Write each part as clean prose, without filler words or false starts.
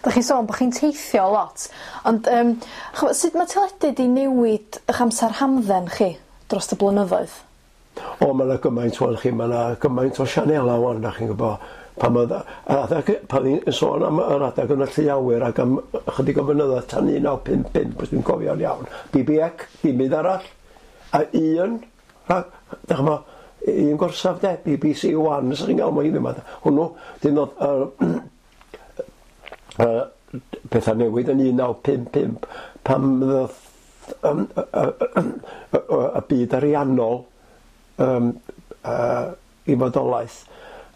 Dach chi'n sôn bo' chi'n teithio lot ond yym ch'mo' sut ma' teledu 'di newid 'ych amser hamdden chi drost y blynyddoedd? O ma' 'na gymaint ŵan chi ma' 'na gymaint o sianela ŵan 'dach chi'n gwbo pan o'dd yr adag pan o'n i'n sôn am yr adag yn y llu awyr ac am ychydig o flynyddoedd tan 1955 os dwi'n cofio'n iawn BBEC dim byd arall a un rhag 'dach ch'mo' un gorsaf 'de BBC One os 'dach chi'n ga'l mo' hwnnw 'dyn o'dd yy yy petha newid yn 1955 pan ddoth yym y y y y byd ariannol yym yy i fodolaeth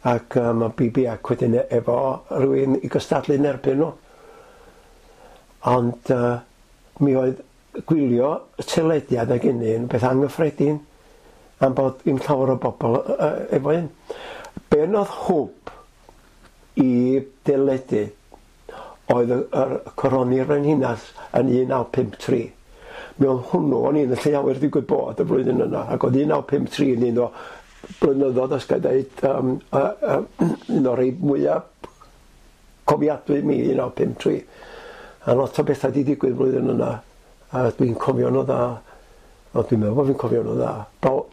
ac yy ma' BBEC wedyn efo rywun i gystadlu yn erbyn nhw. Ond yy mi oedd gwylio y teledu adeg hynny yn beth anghyffredin am bod ddim llawer o bobl yy efo un. Be' nodd hwb i deledu oedd y yr coroni'r frenhines yn 1953. Mi oedd hwnnw, o'n i yn y lle awyr digwydd bod y flwyddyn yna, ac oedd 1953 yn un o blynyddoedd, os ga i ddeud, um, uh, uh, un o'r rhai mwyaf cofiadwy i mi, 1953. A lot o bethau di digwydd flwyddyn yna, a dwi'n cofio nhw dda. O, dwi'n meddwl bod fi'n cofio nhw dda.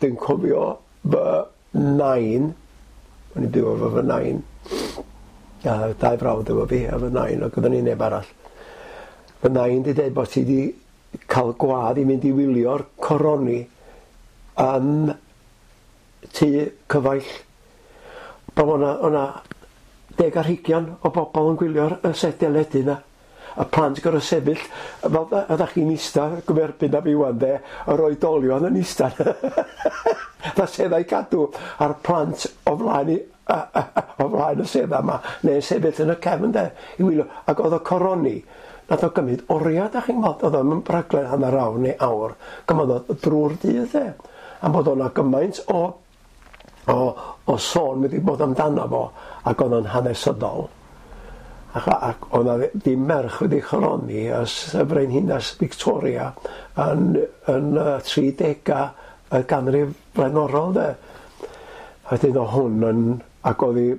Dwi'n cofio fy nain, o'n i'n byw efo fy nain, a dau frawd efo fi a fy nain, ac oedden ni neb arall. Fy nain di dweud bod ti di cael gwadd i mynd i wylio'r coroni yn tŷ cyfaill. Bod o'na, o'na deg ar hugian o bobl yn gwylio'r y set deledu 'na. Y plant gor'o' sefyll fel oeddach chi'n ista gyferbyn â fi ŵan 'de, yr oedolion yn ista fatha seddau cadw a'r plant o flaen i o flaen y sedda 'ma neu'n sefyll yn y cefn 'de i wylio ac o'dd y coroni nath o gymryd oria 'dach chi'n gwbod o'dd o'm yn rhaglen hanner awr neu awr gymodd o drw'r dydd 'de am bod o'na gymaint o o o sôn wedi bod amdano fo ac o'dd o'n hanesyddol ac ac o'dd 'na ddim merch wedi choroni ers y frenhines Victoria yn yn y tri dega y ganrif flaenorol 'de. A wedyn o' hwn yn ac o'dd 'i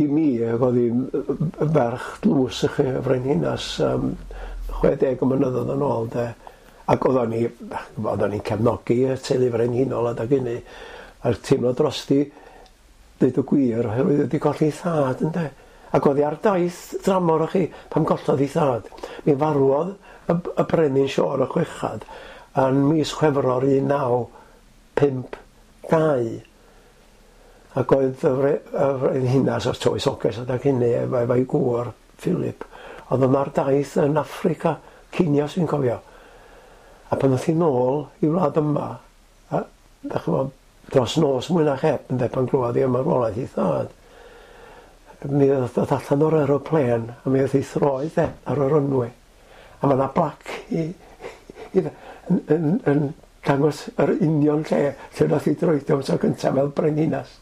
i mi ag o'dd 'i'n ferch dlws i chi y frenhines yym 60 o mynyddoedd yn ôl 'de. Ac oeddan ni, oeddan ni'n cefnogi y teulu frenhinol adag hynny, a'r teimlo drosti, deud y gwir, oherwydd wedi colli ei thad ynde. Ac oedd hi ar daith dramor o chi pan gollodd ei thad. Mi farwodd y, y brenin Siôr y Chwechad yn mis Chwefror 1952. Ac oedd y, fre, y frenhinas o'r tywysoges adag hynny efo, efo'i gŵr Philip, oedd yma'r daith yn Affrica, Kenya os fi'n cofio. A pan ddoth hi nôl i wlad yma, a dach ch'mo' dros nos mwy na chep ynde pan glwodd hi am marwolaeth ei thad, mi ddoth allan o'r aeroplên a mi o'dd ei throed e ar y runway. A ma' 'na blac i i yn yn yn dangos yr union lle lle nath hi droedio am tro cynta fel brenhinas.